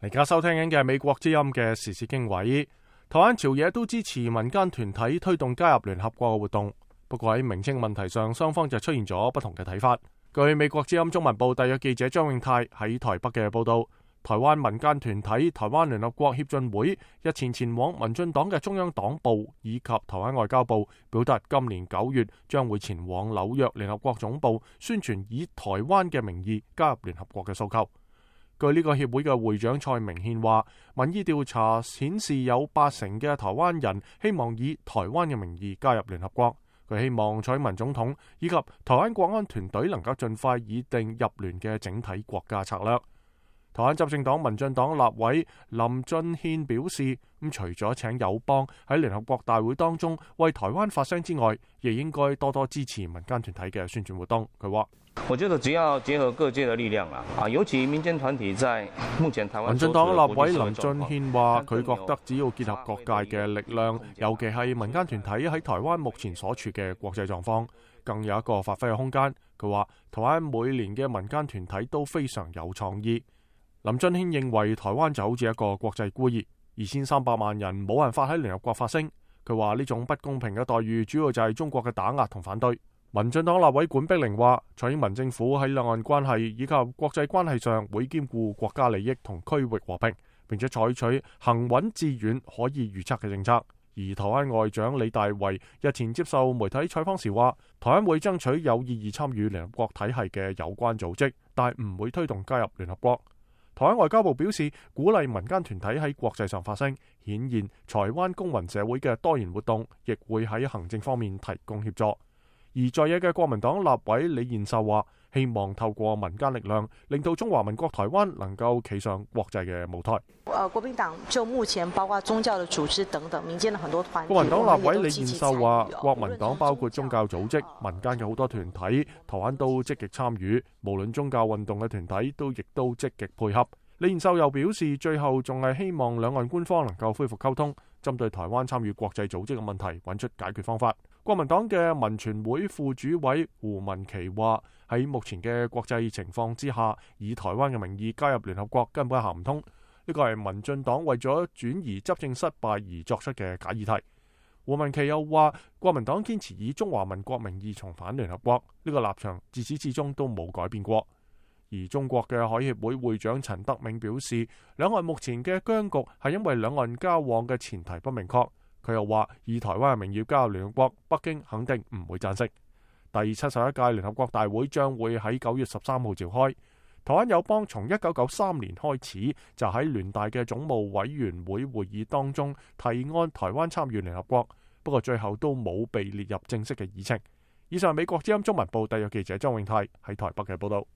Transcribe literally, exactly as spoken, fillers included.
而家收聽緊嘅係美國之音嘅時事經緯。台灣朝野都支持民間團體推動加入聯合國嘅活動，不過喺名稱問題上，雙方就出現咗不同嘅睇法。據美國之音中文部特約記者張永泰喺台北嘅報道，台灣民間團體台灣聯合國協進會日前前往民進黨嘅中央黨部以及台灣外交部，表達今年九月將會前往紐約聯合國總部宣傳以台灣嘅名義加入聯合國嘅訴求。據呢個協會嘅會長蔡明憲話，民意調查顯示有八成嘅台灣人希望以台灣嘅名義加入聯合國。佢希望蔡英文總統以及台灣國安團隊能夠盡快擬定入聯嘅整體國家策略。台灣執政黨民進黨立委林俊憲表示，咁除咗請友邦喺聯合國大會當中為台灣發聲之外，亦應該多多支持民間團體嘅宣傳活動。佢話：我覺得只要結合各界的力量啦，啊，尤其民間團體在目前台灣。民進黨立委林俊憲話：佢覺得只要結合各界嘅力量，尤其係民間團體喺台灣目前所處嘅國際狀況，更有一個發揮嘅空間。佢話：台灣每年嘅民間團體都非常有創意。林俊憲認為台灣就好似一個國際孤兒，二千三百萬人冇辦法喺聯合國發聲。佢話呢種不公平嘅待遇主要就係中國嘅打壓同反對。民進黨立委管碧玲話，蔡英文政府喺兩岸關係以及國際關係上會兼顧國家利益同區域和平，並且採取行穩致遠可以預測嘅政策。而台灣外長李大維日前接受媒體採訪時話，台灣會爭取有意義參與聯合國體系嘅有關組織，但係唔會推動加入聯合國。台灣外交部表示，鼓勵民間團體喺國際上發聲，顯現台灣公民社會嘅多元活動，亦會喺行政方面提供協助。而在野嘅國民黨立委李彥秀話，希望透過民間力量，令到中華民國台灣能夠企上國際嘅舞台。呃，國民黨就目前包括宗教的組織等等，民間的很多團體。國民黨立委李彥秀話，國民黨包括宗教組織、民間嘅好多團體，台灣都積極參與，無論宗教運動嘅團體都亦都積極配合。李彥秀又表示，最後仲係希望兩岸官方能夠恢復溝通，針對台灣參與國際組織嘅問題揾出解決方法。國民黨嘅民權會副主委胡文琪話，喺目前嘅國際情況之下，以台灣嘅名義加入聯合國根本行唔通。呢個係民進黨為咗轉移執政失敗而作出嘅假議題。胡文琪又話，國民黨堅持以中華民國名義重返聯合國，呢個立場自始至終都冇改變過。而中國嘅海協會會長陳德銘表示，兩岸目前嘅僵局係因為兩岸交往嘅前提不明確。佢又話，以台灣嘅名義加入聯合國，北京肯定唔會贊成。第七十一屆聯合國大會將會喺九月十三號召開。台灣友邦從一九九三年開始就喺聯大嘅總務委員會會議當中提案台灣參與聯合國，不過最後都冇被列入正式嘅議程。以上係美國之音中文部特約記者張永泰喺台北嘅報道。